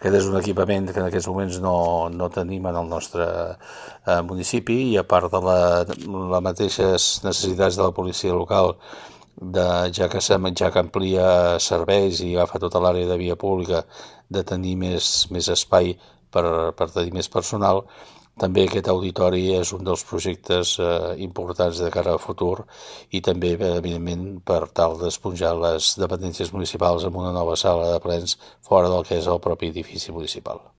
Aquest és un equipament que en aquests moments no tenim en el nostre municipi, i a part de les mateixes necessitats de la policia local, ja que amplia serveis i agafa tota l'àrea de via pública, de tenir més espai per tenir més personal, també aquest auditori és un dels projectes importants de cara al futur, i també, evidentment, per tal d'esponjar les dependències municipals amb una nova sala de plens fora del que és el propi edifici municipal.